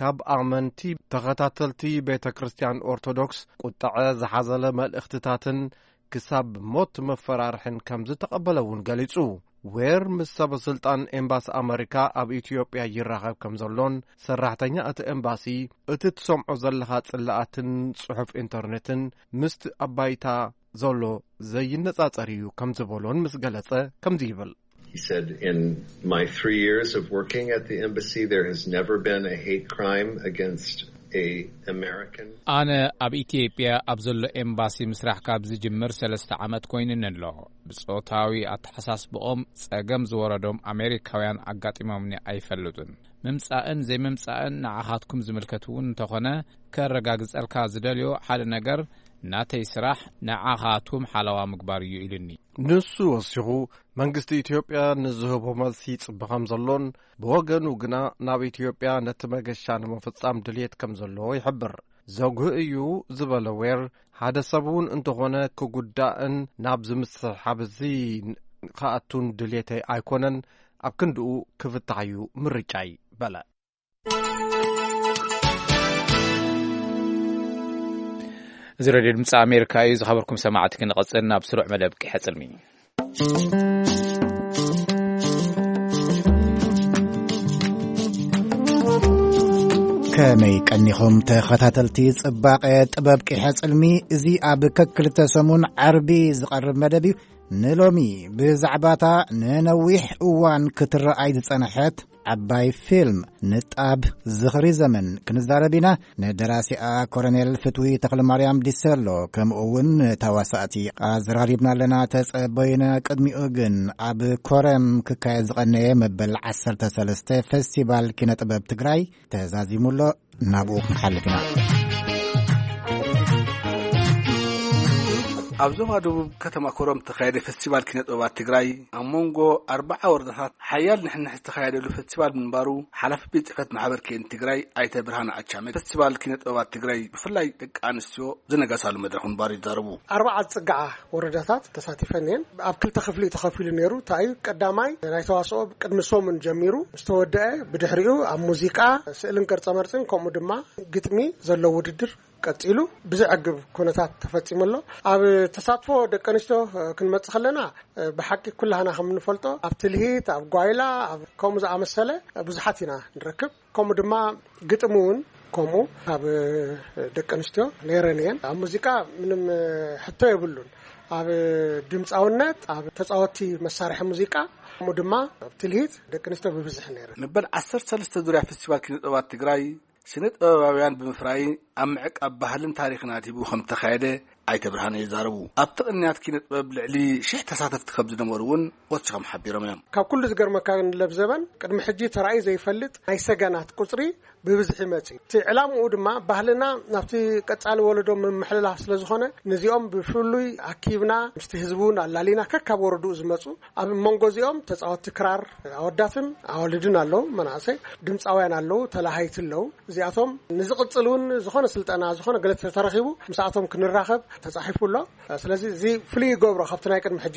ካብ ኣመንቲ ተኸታተልቲ ቤተ ክርስቲያን ኦርቶዶክስ ቁጠዐ ዝሓዘለ መልእኽትታትን ክሳብ ሞት መፈራርሕን ከም ዝተቐበለ እውን ገሊጹ። ዌር ምስ ሰበ ስልጣን ኤምባሲ ኣመሪካ ኣብ ኢትዮጵያ ይራኸብ ከም ዘሎን፣ ሰራሕተኛ እቲ ኤምባሲ እቲ ትሰምዖ ዘለኻ ጽላኣትን ጽሑፍ ኢንተርኔትን ምስቲ ኣብ ባይታ ዘሎ ዘይነጻጸር እዩ ከም ዝበሎን ምስ ገለጸ ከምዚ ይብል። He said, "In my three years of working at the embassy, there has never been a hate crime against a American." ኣነ ኣብ ኢትዮጵያ ኣብ ዘሎ ኤምባሲ ምስራሕ ካብ ዝጅምር ሰለስተ ዓመት ኮይኑኒ ኣሎ። ብጾታዊ ኣተሓሳስብኦም ጸገም ዝወረዶም ኣሜሪካውያን ኣጋጢሞምኒ ኣይፈልጡን። ምምጻእን ዘይምምጻእን ንዓኻትኩም ዝምልከት እውን እንተኾነ፣ ከረጋግጸልካ ዝደልዮ ሓደ ነገር፣ ናተይ ስራሕ ንዓኻትኩም ሓለዋ ምግባር እዩ ኢሉኒ። ንሱ ወሲኹ፣ መንግስቲ ኢትዮጵያ ንዝህቦ መልሲ ይጽበ ከም ዘሎን፣ ብወገኑ ግና ናብ ኢትዮጵያ ነቲ መገሻ ንምፍጻም ድልየት ከም ዘለዎ ይሕብር። ዘጉህ እዩ ዝበለ ዌር፣ ሓደ ሰብ እውን እንተኾነ ክጉዳእን ናብ ዝምስሕሓብ እዚ ክኣቱን ድልየተይ ኣይኮነን፣ ኣብ ክንድኡ ክፍታሕ እዩ ምርጫይ በለ። እዚ ሬድዮ ድምፂ ኣሜሪካ እዩ። ዝኸበርኩም ሰማዕቲ፣ ክንቐፅል ናብ ስሩዕ መደብ ቂሐ ፅልሚ። ከመይ ቀኒኹም ተኸታተልቲ ጽባቐ ጥበብ ቂሐ ጽልሚ? እዚ ኣብ ከክልተ ሰሙን ዓርቢ ዝቐርብ መደብ እዩ። ንሎሚ ብዛዕባታ ንነዊሕ እዋን ክትረኣይ ዝጸንሐት ዓባይ ፊልም ንጣብ ዝኽሪ ዘመን ክንዛረብ ኢና። ንደራሲኣ ኮሎኔል ፍትዊ ተኽለማርያም ዲሰሎ፣ ከምኡ እውን ንተዋሳእቲ ኣዘራሪብና ኣለና፣ ተጸበዩና። ቅድሚኡ ግን ኣብ ኮረም ክካየድ ዝቐነየ መበል ዓሰርተ ሰለስተ ፌስቲቫል ኪነ ጥበብ ትግራይ ተዛዚሙ ኣሎ። ናብኡ ክንሓልፍ ኢና። ኣብ ዞባ ደቡብ ከተማ ኮረም ዝተኻየደ ፌስቲቫል ኪነ ጥበባት ትግራይ፣ ኣብ መንጎ ኣርባዓ ወረዳታት ሓያል ንሕንሕ ዝተኻየደሉ ፌስቲቫል ምንባሩ ሓላፊ ቤት ጽሕፈት ማሕበር ኬን ትግራይ ኣይተ ብርሃነ ኣቻመ፣ ፌስቲቫል ኪነ ጥበባት ትግራይ ብፍላይ ደቂ ኣንስትዮ ዝነገሳሉ መድረኽ ምንባሩ ይዛረቡ። ኣርባዓ ዝጽግዓ ወረዳታት ተሳቲፈን እየን። ኣብ ክልተ ክፍሊ እዩ ተኸፊሉ ነይሩ። እንታይ እዩ? ቀዳማይ ናይ ተዋስኦ ቅድሚ ሰሙን ጀሚሩ ምስ ተወደአ፣ ብድሕሪኡ ኣብ ሙዚቃ፣ ስእልን ቅርጸ መርጽን፣ ከምኡ ድማ ግጥሚ ዘለዎ ውድድር ቀጺሉ ብዘዕግብ ኩነታት ተፈጺሙ ኣሎ። ኣብ ተሳትፎ ደቂ ኣንስትዮ ክንመጽእ ከለና፣ ብሓቂ ኩላህና ከም እንፈልጦ ኣብ ትልሂት፣ ኣብ ጓይላ፣ ኣብ ከምኡ ዝኣመሰለ ብዙሓት ኢና ንረክብ። ከምኡ ድማ ግጥሚ እውን ከምኡ ካብ ደቂ ኣንስትዮ ነይረን እየን። ኣብ ሙዚቃ ምንም ሕቶ የብሉን። ኣብ ድምፃውነት፣ ኣብ ተፃወቲ መሳርሒ ሙዚቃ፣ ከምኡ ድማ ኣብ ትልሂት ደቂ ኣንስትዮ ብብዝሒ ነይረን። መበል ዓሰርተ ሰለስተ ዙርያ ፌስቲቫል ኪነ ጥበባት ትግራይ ስነ ጥበባውያን ብምፍራይ ኣብ ምዕቃብ ባህልን ታሪኽን ኣድሂቡ ከም ዝተኻየደ ኣይተ ብርሃነ ይዛረቡ። ኣብቲ ቅንያት ኪነ ጥበብ ልዕሊ ሽሕ ተሳተፍቲ ከም ዝነበሩ እውን ወሲኾም ሓቢሮም እዮም። ካብ ኩሉ ዝገርመካ ግን ለብዘበን ቅድሚ ሕጂ ተራእዩ ዘይፈልጥ ናይ ሰገናት ቁጽሪ ብብዝሒ መጺኡ። እቲ ዕላምኡ ድማ ባህልና ናብቲ ቀጻሊ ወለዶ ምምሕልላፍ ስለ ዝኾነ፣ ነዚኦም ብፍሉይ ኣኪብና ምስቲ ህዝቢ እውን ኣላሊና ከካብ ወረድኡ ዝመጹ፣ ኣብ መንጎ እዚኦም ተጻወትቲ ክራር ኣወዳትን ኣዋልድን ኣለዉ፣ መናእሰይ ድምጻውያን ኣለዉ፣ ተላሃይቲ ኣለዉ። እዚኣቶም ንዝቕጽል እውን ዝኾነ ስልጠና፣ ዝኾነ ገለ ተተረኺቡ ምስኣቶም ክንራኸብ ተጻሒፉ ኣሎ። ስለዚ እዚ ፍሉይ ይገብሮ ካብቲ ናይ ቅድሚ ሕጂ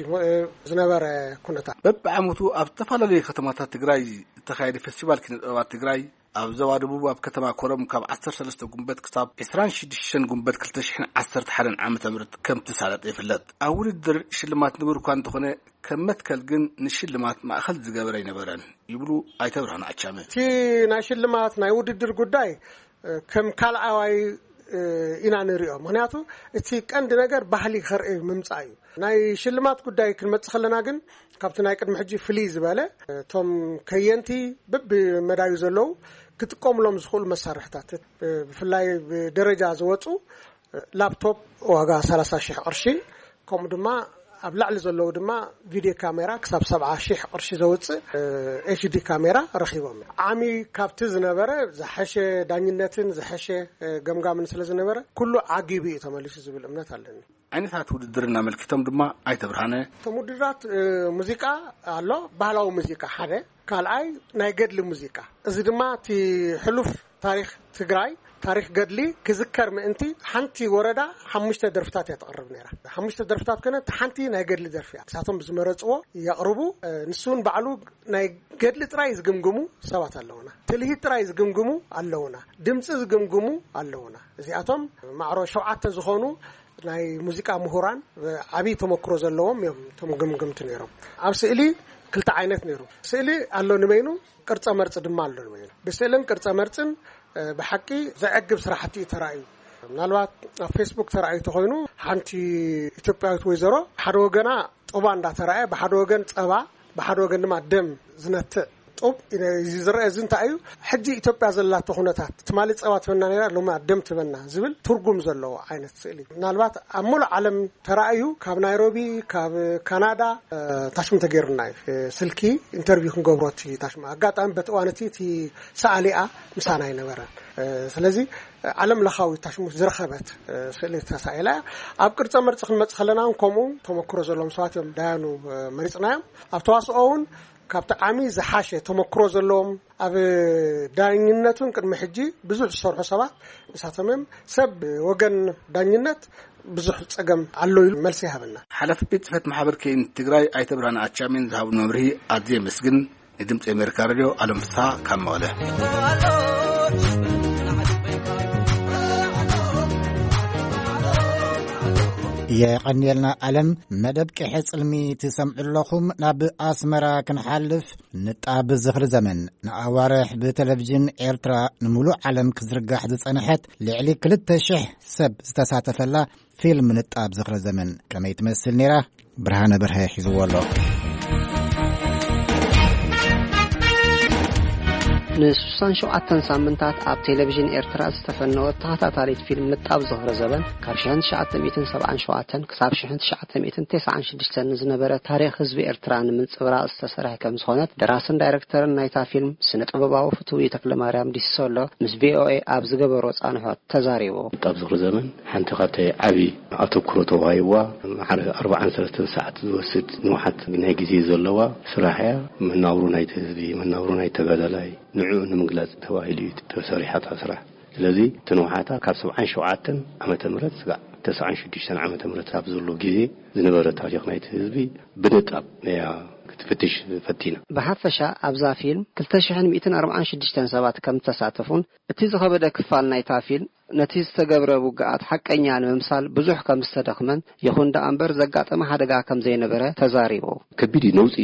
ዝነበረ ኩነታት። በብዓመቱ ኣብ ዝተፈላለዩ ከተማታት ትግራይ ዝተኻየደ ፌስቲቫል ኪነ ጥበባት ትግራይ ኣብ ዞባ ደቡብ ኣብ ከተማ ኮረም ካብ ዓሰርተ ሰለስተ ጉንበት ክሳብ ዕስራን ሽዱሽተን ጉንበት ክልተ ሽሕን ዓሰርተ ሓደን ዓመተ ምህረት ከም ትሳለጥ ይፍለጥ። ኣብ ውድድር ሽልማት ንቡር እኳ እንተኾነ፣ ከም መትከል ግን ንሽልማት ማእኸል ዝገበረ ኣይነበረን ይብሉ ኣይተ ብርሃኑ ኣቻመ። እቲ ናይ ሽልማት ናይ ውድድር ጉዳይ፣ እ፣ ከም ካልኣዋይ፣ እ፣ ኢና ንሪኦ። ምኽንያቱ እቲ ቀንዲ ነገር ባህሊ ከርኢ ምምጻእ እዩ። ናይ ሽልማት ጉዳይ ክንመጽእ ከለና ግን ካብቲ ናይ ቅድሚ ሕጂ ፍልይ ዝበለ፣ እቶም ከየንቲ በብመዳዩ ዘለዉ ክጥቀሙሎም ዝኽእሉ መሳርሕታት፣ ብፍላይ ብደረጃ ዝወፁ ላፕቶፕ ዋጋ ሰላሳ ሺሕ ቅርሺ፣ ከምኡ ድማ ኣብ ላዕሊ ዘለዉ ድማ ቪድዮ ካሜራ ክሳብ ሰብዓ ሺሕ ቅርሺ ዘውፅእ ኤች ዲ ካሜራ ረኺቦም። ዓሚ ካብቲ ዝነበረ ዝሐሸ ዳኝነትን ዝሐሸ ገምጋምን ስለ ዝነበረ ኩሉ ዓጊቡ እዩ ተመሊሱ ዝብል እምነት ኣለኒ። ዓይነታት ውድድር እናመልኪቶም ድማ ኣይተ ብርሃነ፣ እቶም ውድድራት፣ እ፣ ሙዚቃ ኣሎ፣ ባህላዊ ሙዚቃ ሓደ፣ ካልኣይ ናይ ገድሊ ሙዚቃ። እዚ ድማ እቲ ሕሉፍ ታሪኽ ትግራይ፣ ታሪኽ ገድሊ ክዝከር ምእንቲ ሓንቲ ወረዳ ሓሙሽተ ደርፍታት እያ ተቕርብ ነይራ። ሓሙሽተ ደርፍታት ኮነ፣ እቲ ሓንቲ ናይ ገድሊ ደርፊ እያ። ንሳቶም ብዝመረፅዎ የቕርቡ። እ፣ ንሱ እውን ባዕሉ ናይ ገድሊ ጥራይ ዝግምግሙ ሰባት ኣለውና። ትልሂት ጥራይ ዝግምግሙ ኣለውና። ድምፂ ዝግምግሙ ኣለውና። እዚኣቶም ማዕሮ ሸውዓተ ዝኾኑ ናይ ሙዚቃ ምሁራን፣ ዓብዪ ተመክሮ ዘለዎም እዮም እቶም ግምግምቲ ነይሮም። ኣብ ስእሊ ክልተ ዓይነት ነይሩ። ስእሊ ኣሎ ንበይኑ፣ ቅርጸ መርጺ ድማ ኣሎ ንበይኑ። ብስእልን ቅርጸ መርጽን፣ እ፣ ብሓቂ ዘዕግብ ስራሕቲ እዩ ተራእዩ። ምናልባት ኣብ ፌስቡክ ተራእዩ ተኾይኑ፣ ሓንቲ ኢትዮጵያዊት ወይዘሮ ሓደ ወገና ጡባ እንዳተራእየ፣ ብሓደ ወገን ጸባ፣ ብሓደ ወገን ድማ ደም ዝነትዕ ጡብ እዩ ዝረአ። እዚ እንታይ እዩ? ሕጂ ኢትዮጵያ ዘላቶ ኩነታት፣ ትማሊ ጸባ ትበና ነይራ፣ ሎሚ ደም ትበና ዝብል ትርጉም ዘለዎ ዓይነት ስእሊ። ምናልባት ኣብ ሙሉእ ዓለም ተራእዩ፣ ካብ ናይሮቢ፣ ካብ ካናዳ፣ እ፣ ታሽሙ ተገይሩና እዩ። እ፣ ስልኪ ኢንተርቪው ክንገብሮ እቲ ታሽሙ። ኣጋጣሚ በቲ እዋን እቲ፣ እቲ ሰኣሊኣ ምሳና ኣይነበረን። እ፣ ስለዚ፣ እ፣ ዓለም ለኻዊ ታሽሙ ዝረኸበት፣ እ፣ ስእሊ ተሳኢላ እያ። ኣብ ቅርጸ መርጺ ክንመጽእ ከለና እውን ከምኡ ተመክሮ ዘለዎም ሰባት እዮም ዳያኑ፣ እ፣ መሪጽናዮም። ኣብ ተዋስኦ እውን ካብቲ ዓሚ ዝሓሸ ተመክሮ ዘለዎም፣ ኣብ ዳኝነቱን ቅድሚ ሕጂ ብዙሕ ዝሰርሑ ሰባት ንሳቶም እዮም። ሰብ ወገን ዳኝነት ብዙሕ ጸገም ኣሎ ኢሉ መልሲ ይሃበና። ሓላፊ ቤት ጽሕፈት ማሕበር ከይን ትግራይ ኣይተ ብርሃነ ኣቻሜን ዝሃቡ መብርሂ ኣዝየ የመስግን። ንድምፂ ኣሜሪካ ሬድዮ ኣለም ፍስሓ ካብ መቐለ። የቐንየልና ኣለም። መደብ ቅሐ ጽልሚ ትሰምዑ ኣለኹም። ናብ ኣስመራ ክንሓልፍ፣ ንጣብ ዝኽሪ ዘመን ንኣዋርሕ ብቴሌቪዥን ኤርትራ ንምሉእ ዓለም ክዝርጋሕ ዝጸንሐት ልዕሊ ክልተ ሽሕ ሰብ ዝተሳተፈላ ፊልም ንጣብ ዝኽሪ ዘመን ከመይ ትመስል ነይራ? ብርሃነ በርሀ ሒዝዎ ኣሎ። ንስሳን ሸውዓተን ሳምንታት ኣብ ቴሌቪዥን ኤርትራ ዝተፈነወት ተኸታታሊት ፊልም ንጣብ ዝኽሪ ዘበን፣ ካብ ሽሕን ትሽዓተ ሚእትን ሰብዓን ሸውዓተን ክሳብ ሽሕን ትሽዓተ ሚእትን ተስዓን ሽዱሽተን ንዝነበረ ታሪኽ ህዝቢ ኤርትራ ንምንጽብራቕ ዝተሰርሐ ከም ዝኾነት፣ ደራስን ዳይሬክተርን ናይታ ፊልም፣ ስነ ጥበባዊ ፍትዊ ተክለማርያም ዲሶሎ፣ ምስ ቪ ኦ ኤ ኣብ ዝገበሮ ጻንሖት ተዛሪቡ። ንጣብ ዝኽሪ ዘመን ሓንቲ ካብቲ ዓቢ ኣተኩሮ ተዋሂብዋ፣ ማዕረ ኣርባዓን ሰለስተን ሰዓት ዝወስድ ንውሓት ናይ ግዜ ዘለዋ ስራሕ እያ። መናብሮ ናይቲ ህዝቢ፣ መናብሮ ናይ ተጋዳላይ፣ ንዕኡ ንምግላጽ ተባሂሉ እዩ ተሰሪሓ እታ ስራሕ። ስለዚ፣ እቲ ንውሓታ ካብ ሰብዓን ሸውዓተን ዓመተ ምህረት ስጋዕ ተስዓን ሽዱሽተን ዓመተ ምህረት ኣብ ዘሎ ግዜ ዝነበረ ታሪኽ ናይቲ ህዝቢ ብንጣብ እያ ክትፍትሽ ፈቲና። ብሓፈሻ፣ ኣብዛ ፊልም ክልተ ሽሕን ሚእትን ኣርባዓን ሽዱሽተን ሰባት ከም ዝተሳተፉን፣ እቲ ዝኸበደ ክፋል ናይታ ፊልም፣ ነቲ ዝተገብረ ውግኣት ሓቀኛ ንምምሳል ብዙሕ ከም ዝተደኽመን፣ ይኹን ደኣ እምበር ዘጋጠመ ሓደጋ ከም ዘይነበረ ተዛሪቡ። ከቢድ እዩ ነውጺ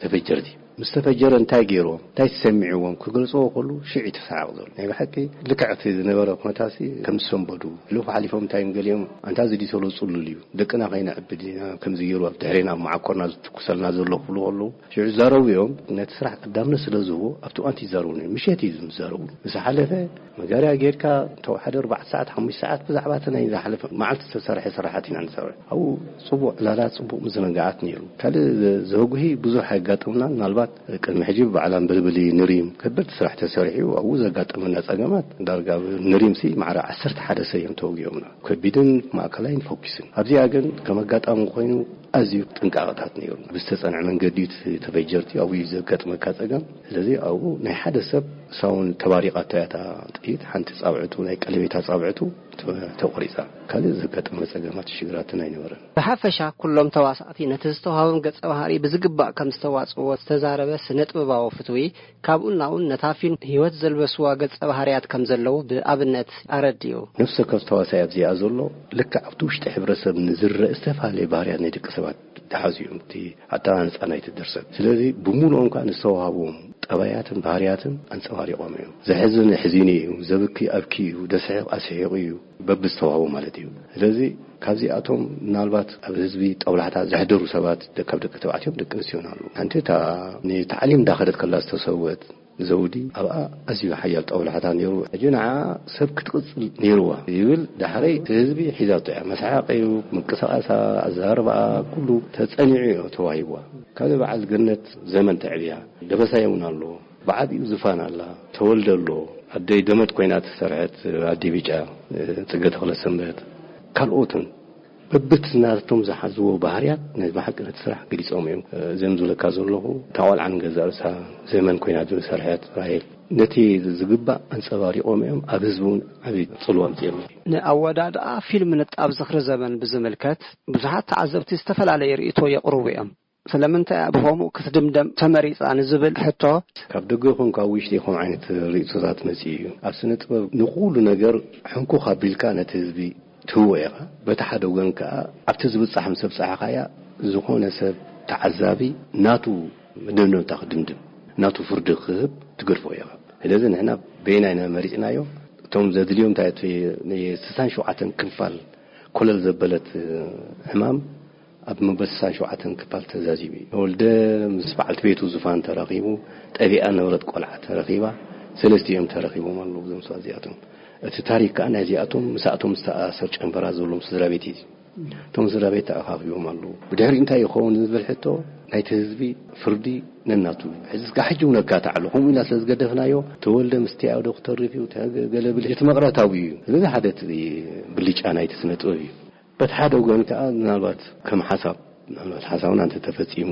ተፈጀርቲ። ምስ ተፈጀረ እንታይ ገይርዎም፣ እንታይ ተሰሚዕዎም ክገልጽዎ ከሉ ሽዕ እዩ ተሰዓቕ ዘሎ። ናይ ብሓቂ ልክዕ እቲ ዝነበረ ኩነታትሲ ከም ዝሰንበዱ፣ ሕሉፍ ሓሊፎም እንታይ እዮም ገሊኦም፣ ኣንታ እዚ ድዩ ተሎ ጽሉል እዩ፣ ደቅና ከይነዕብድ ኢና፣ ከምዚ ገይሩ ኣብ ድሕሬና ኣብ መዓኮርና ዝትኩሰልና ዘሎ ክብሉ ከለዉ፣ ሽዑ ዝዛረቡ እዮም። ነቲ ስራሕ ቀዳምነት ስለ ዝህቦ ኣብቲ እዋን እቲ ይዛረቡ ነይሩ። ምሸት እዩ ዝዛረቡ። ምስ ሓለፈ መጋርያ ጌርካ፣ ተወሓደ ኣርባዕተ ሰዓት፣ ሓሙሽተ ሰዓት ብዛዕባ እቲ ናይ ዝሓለፈ መዓልቲ ዝተሰርሐ ስራሓት ኢና ንሰርሕ። ኣብኡ ጽቡቕ ዕላላት፣ ጽቡቕ ምዝንጋዓት ነይሩ። ካልእ ዘ-፣ ዘጉሂ ብዙሕ ኣየጋጠምናን። ምናልባት ቅድሚ ሕጂ ብበዓል ኣንበልብሊ ንሪም ከበድቲ ስራሕ ተሰሪሑ፣ ኣብኡ ዘጋጠመና ጸገማት ዳርጋ ኣብ ንሪምሲ ማዕረ ዓሰርተ ሓደ ሰብ እዮም ተወጊኦምና። ከቢድን ማእከላይን ፈኲስን። ኣብዚኣ ግን ከም ኣጋጣሚ ኮይኑ ኣዝዩ ጥንቃቐታት ነይሩ። ብዝተጸንዐ መንገዲ እዩ እቲ ተፈጀርቲ ኣብኡ እዩ ዘጋጥመካ ጸገም። ስለዚ ኣብኡ ናይ ሓደ ሰብ ሳውን ተባሪቓቶ እያ እታ ጥይት። ሓንቲ ጻብዕቱ፣ ናይ ቀለቤታ ጻብዕቱ ተ-፣ ተቖሪጻ። ካልእ ዘጋጠመ ጸገማት ሽግራትን ኣይነበረን። ብሓፈሻ ኩሎም ተዋሳእቲ ነቲ ዝተዋህቦም ገጸ ባህሪ ብዝግባእ ከም ዝተዋጽዎ ዝተዛረበ ስነ ጥበባዊ ፍትዊ፣ ካብኡ ናውን ነታ ፊልም ህይወት ዘልበስዋ ገጸ ባህርያት ከም ዘለዉ ብኣብነት ኣረዲኡ። ነፍሲ ወከፍ ተዋሳይ ኣብዚኣ ዘሎ ልክዕ ኣብቲ ውሽጢ ሕብረተሰብ ንዝረእ ዝተፈላለየ ባህርያት ናይ ደቂ ሰባት ዝሓዙ እዮም። እቲ ኣተሃናንጻ ናይቲ ድርሰት። ስለዚ ብምሉኦም ከኣ ንዝተዋህቦም ጠባያትን ባህርያትን ኣንጸባሪቖም እዮም። ዘሕዝን ኣሕዚኑ እዩ፣ ዘብኪ ኣብኪ እዩ፣ ዘስሕቕ ኣስሒቑ እዩ፣ በብዝተዋህቦ ማለት እዩ። ስለዚ ካብዚኣቶም ምናልባት ኣብ ህዝቢ ጠብላሕታ ዘሕደሩ ሰባት ደ-፣ ካብ ደቂ ተባዕትዮን ደቂ ኣንስትዮን ኣለዉ። ሓንቲ እታ ንታዕሊም እንዳኸደት ከላ ዝተሰወት ዘውዲ ኣብኣ ኣዝዩ ሓያል ጠብላሕታ ነይሩ። ሕጂ ንዓ ሰብ ክትቕጽል ነይርዋ ይብል። ዳሕረይ እቲ ህዝቢ ሒዛቶ እያ። መስሓቐዩ፣ ምንቅስቓሳ፣ ኣዘራርባኣ ኩሉ ተጸኒዑ እዩ ተዋሂብዋ። ካልእ በዓል ገነት ዘመን ተዕብያ። ደበሳይ እውን ኣሎ። ብዓቢኡ ዝፋን ኣላ። ተወልደ ኣሎ። ኣደይ ደመት ኮይና እተሰርሐት ኣዲ ብጫ፣ ጽገ ተኽለ ሰንበት፣ ካልኦትን በብቲ ናቶም ዝሓዝዎ ባህርያት ናይ ብሓቂ ነቲ ስራሕ ገሊጾም እዮም። እዞም ዝብለካ ዘለኹ እታ ቆልዓ ንገዛእ ርእሳ ዘመን ኮይና ዝሰርሐት ራሄል ነቲ ዝግባእ ኣንጸባሪቖም እዮም። ኣብ ህዝቢ እውን ዓቢ ጽልዋ ኣምጺኦም እዮም። ንኣወዳድኣ ፊልም ንጣብ ዝኽሪ ዘመን ብዝምልከት ብዙሓት ተዓዘብቲ ዝተፈላለየ ርእይቶ የቕርቡ እዮም። ስለምንታይ እያ ብኸምኡ ክትድምደም ተመሪጻ ንዝብል ሕቶ፣ ካብ ደገ ይኹን ካብ ውሽጢ ይኹን ዓይነት ርእይቶታት መጺኡ እዩ። ኣብ ስነ ጥበብ ንኹሉ ነገር ሕንኩኽ ኣቢልካ ነቲ ህዝቢ ትህቦ ኢኻ። በቲ ሓደ ወገን ከኣ ኣብቲ ዝብጻሕ ምስ ኣብጻሕኻያ ዝኾነ ሰብ ተዓዛቢ ናቱ መደምደምታ ክድምድም፣ ናቱ ፍርዲ ክህብ ትገድፎ ኢኻ። ስለዚ ንሕና በየናይ ኢና መሪጽናዮ? እቶም ዘድልዮም እንታይ እቲ ናይ ስሳን ሸውዓተን ክፋል ኮለል ዘበለት ሕማም ኣብ መበል ስሳን ሸውዓተን ክፋል ተዛዚሙ እዩ። ወልደ ምስ በዓልቲ ቤቱ ዙፋን ተራኺቡ፣ ጠቢኣ ነበረት ቆልዓ ተረኺባ፣ ሰለስቲኦም ተረኺቦም ኣለዉ እዞም ሰባት እዚኣቶም። እቲ ታሪክ ከኣ ናይዚኣቶም ምስኣቶም ዝተኣሳሰር ጨንፈራ ዘለዎም ስድራ ቤት እዩ። እቶም ስድራ ቤት ተኣኻኺቦም ኣለዉ። ብድሕሪ እንታይ ይኸውን ዝብል ሕቶ ናይቲ ህዝቢ ፍርዲ ነናቱ እዩ። ሕዚ እስካ ሕጂ እውን ኣካታዕሉ። ከምኡ ኢልና ስለ ዝገደፍናዮ፣ ተወልደ ምስቲኣ ዶ ክተርፍ እዩ፣ ተ-፣ ገለ ብል፣ እቲ መቕረታዊ እዩ። ስለዚ ሓደ እቲ ብልጫ ናይቲ ስነ ጥበብ እዩ። በቲ ሓደ ወገን ከኣ ምናልባት ከም ሓሳብ፣ ምናልባት ሓሳብና እንተተፈጺሙ፣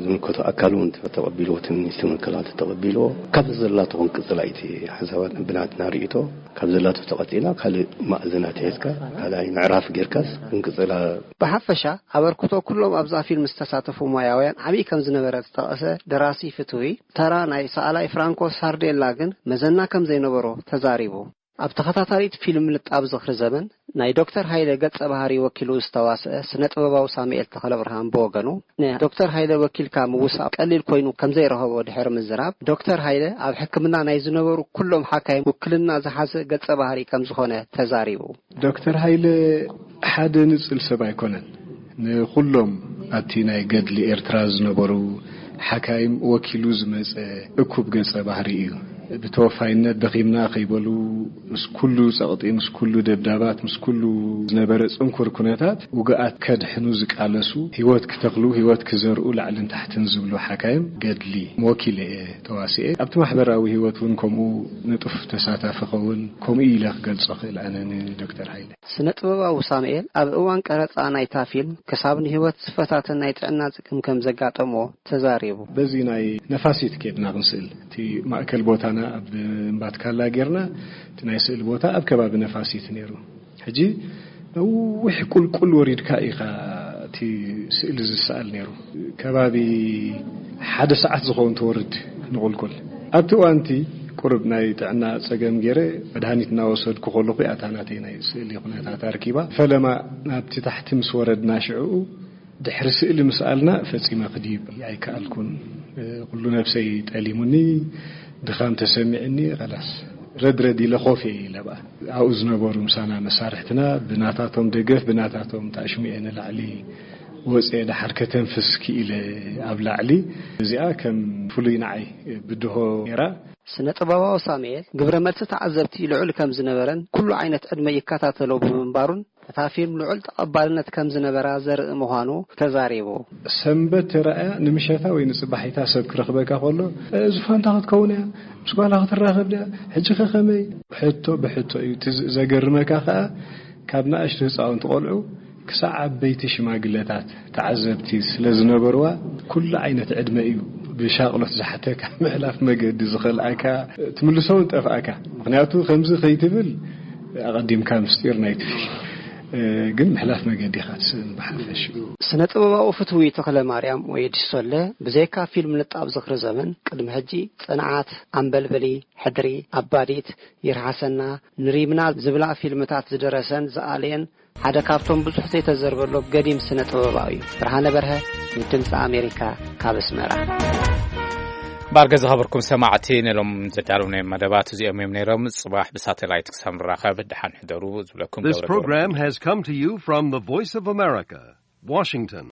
ዝምልከቶ ኣካል እውን እንተተቐቢልዎ፣ እቲ ሚኒስትሪ መከላኸሊ እንተተቐቢልዎ፣ ካብዚ ዘላቶ ክንቅጽላ እዩ እቲ ሓሳባት ብናትና ርእይቶ። ካብ ዘላቶ ተቐጺላ ካልእ ማእዝናት ሒዝካ፣ ካልኣይ ምዕራፍ ጌርካስ ክንቅጽላ። ብሓፈሻ ኣበርክቶ ኩሎም ኣብዛ ፊልም ዝተሳተፉ ሞያውያን ዓብዪ ከም ዝነበረ ዝጠቐሰ ደራሲ ፍትዊ፣ ተራ ናይ ሰኣላይ ፍራንኮ ሳርዴላ ግን መዘና ከም ዘይነበሮ ተዛሪቡ። ኣብ ተኸታታሊት ፊልም ንጣብ ዝኽሪ ዘመን ናይ ዶክተር ሃይለ ገጸ ባህሪ ወኪሉ ዝተዋስአ ስነ ጥበባዊ ሳሙኤል ተኽለብርሃን ብወገኑ፣ ንዶክተር ሃይለ ወኪልካ ምውሳእ ቀሊል ኮይኑ ከም ዘይረኸቦ ድሕሪ ምዝራብ፣ ዶክተር ሃይለ ኣብ ሕክምና ናይ ዝነበሩ ኩሎም ሓካይም ውክልና ዝሓዘ ገጸ ባህሪ ከም ዝኾነ ተዛሪቡ። ዶክተር ሃይለ ሓደ ንጽል ሰብ ኣይኮነን። ንኹሎም ኣብቲ ናይ ገድሊ ኤርትራ ዝነበሩ ሓካይም ወኪሉ ዝመጸ እኩብ ገጸ ባህሪ እዩ። ብተወፋይነት ደኺምና ከይበሉ፣ ምስ ኩሉ ጸቕጢ፣ ምስ ኩሉ ደብዳባት፣ ምስ ኩሉ ዝነበረ ጽንኩር ኩነታት፣ ውግኣት ከድሕኑ ዝቃለሱ፣ ህይወት ክተኽሉ፣ ህይወት ክዘርኡ ላዕልን ታሕትን ዝብሉ ሓካይም ገድሊ ወኪለ እየ ተዋሲኤ። ኣብቲ ማሕበራዊ ህይወት እውን ከምኡ ንጡፍ ተሳታፊ ኸውን፣ ከምኡ ኢለ ክገልጾ ክእል ኣነ ንዶክተር ሃይለ። ስነ ጥበባዊ ሳሙኤል ኣብ እዋን ቀረጻ ናይታ ፊልም ክሳብ ንህይወት ዝፈታተን ናይ ጥዕና ጽግም ከም ዘጋጠሞ ተዛሪቡ። በዚ ናይ ነፋሲት ኬድና ክንስእል፣ እቲ ማእከል ቦታና ኣብ እምባትካላ ጌርና፣ እቲ ናይ ስእል ቦታ ኣብ ከባቢ ነፋሲት ነይሩ። ሕጂ ነዊሕ ቁልቁል ወሪድካ ኢኻ እቲ ስእሊ ዝሰኣል ነይሩ። ከባቢ ሓደ ሰዓት ዝኸውን ትወርድ ንቁልቁል። ኣብቲ እዋንቲ ቁሩብ ናይ ጥዕና ጸገም ገይረ መድሃኒት እናወሰድኩ ከለኹ እያ እታ ናተይ ናይ ስእሊ ኩነታት ኣርኪባ። ፈለማ ናብቲ ታሕቲ ምስ ወረድና ሽዕኡ ድሕሪ ስእሊ ምስኣልና ፈጺመ ክድይብ ኣይከኣልኩን። ኩሉ ነብሰይ ጠሊሙኒ፣ ድኻም ተሰሚዕኒ፣ ኸላስ ረድረድ ኢለ ኮፍ እየ ኢለ ብኣ። ኣብኡ ዝነበሩ ምሳና መሳርሕትና ብናታቶም ደገፍ፣ ብናታቶም ታሽሙኤ ንላዕሊ ወፅየ፣ ደሓር ከተንፍስ ክኢለ ኣብ ላዕሊ። እዚኣ ከም ፍሉይ ንዓይ ብድሆ ነይራ። ስነ ጥበባዊ ሳሙኤል ግብረ መልሲ ተዓዘብቲ ልዑል ከም ዝነበረን ኩሉ ዓይነት ዕድመ ይከታተሎ ብምንባሩን እታ ፊልም ልዑል ተቐባልነት ከም ዝነበራ ዘርኢ ምዃኑ ተዛሪቡ። ሰንበት ተራእያ ንምሸታ ወይ ንጽባሒታ ሰብ ክረኽበካ ከሎ፣ "እ፣ ዙፋንታ ክትከውን እያ፣ ምስ ጓላ ክትራኸብ ድያ፣ ሕጂ ከ ከመይ?" ሕቶ ብሕቶ እዩ። እቲ ዝ-፣ ዘገርመካ ከኣ፣ ካብ ንኣሽቱ ህጻውንቲ ቆልዑ ክሳዕ ዓበይቲ ሽማግለታት ተዓዘብቲ ስለ ዝነበርዋ፣ ኩሉ ዓይነት ዕድመ እዩ ብሻቕሎት ዝሓተካ ምሕላፍ መገዲ ዝኸልኣካ ትምልሶ እውን ጠፍኣካ። ምክንያቱ ከምዚ ከይትብል ኣቐዲምካ ምስጢር ናይቲ ፊልም ግን ምሕላፍ መገዲ ኢኻ ትስእን ብሓፈሽ። ስነ ጥበባዊ ፍትዊ ተኽለ ማርያም ወይ ዲሶለ ብዘይካ ፊልም ንጣብ ዝኽሪ ዘመን ቅድሚ ሕጂ ጽንዓት፣ ኣምበልበሊ፣ ሕድሪ፣ ኣባዲት፣ ይርሃሰና፣ ንሪምና ዝብላ ፊልምታት ዝደረሰን ዝኣለየን ሓደ ካብቶም ብዙሕ ዘይተዘርበሎ ገዲም ስነ ጥበባዊ እዩ። ብርሃነ በርሀ ንድምፂ ኣሜሪካ ካብ ኣስመራ። ባርገ ዝኸበርኩም ሰማዕቲ፣ ነሎም ዘዳለውናዮም መደባት እዚኦም እዮም ነይሮም። ጽባሕ ብሳተላይት ክሳብ ንራኸብ ደሓን ሕደሩ ዝብለኩም This ገብረ ገብረ program has come to you from the Voice of America, Washington.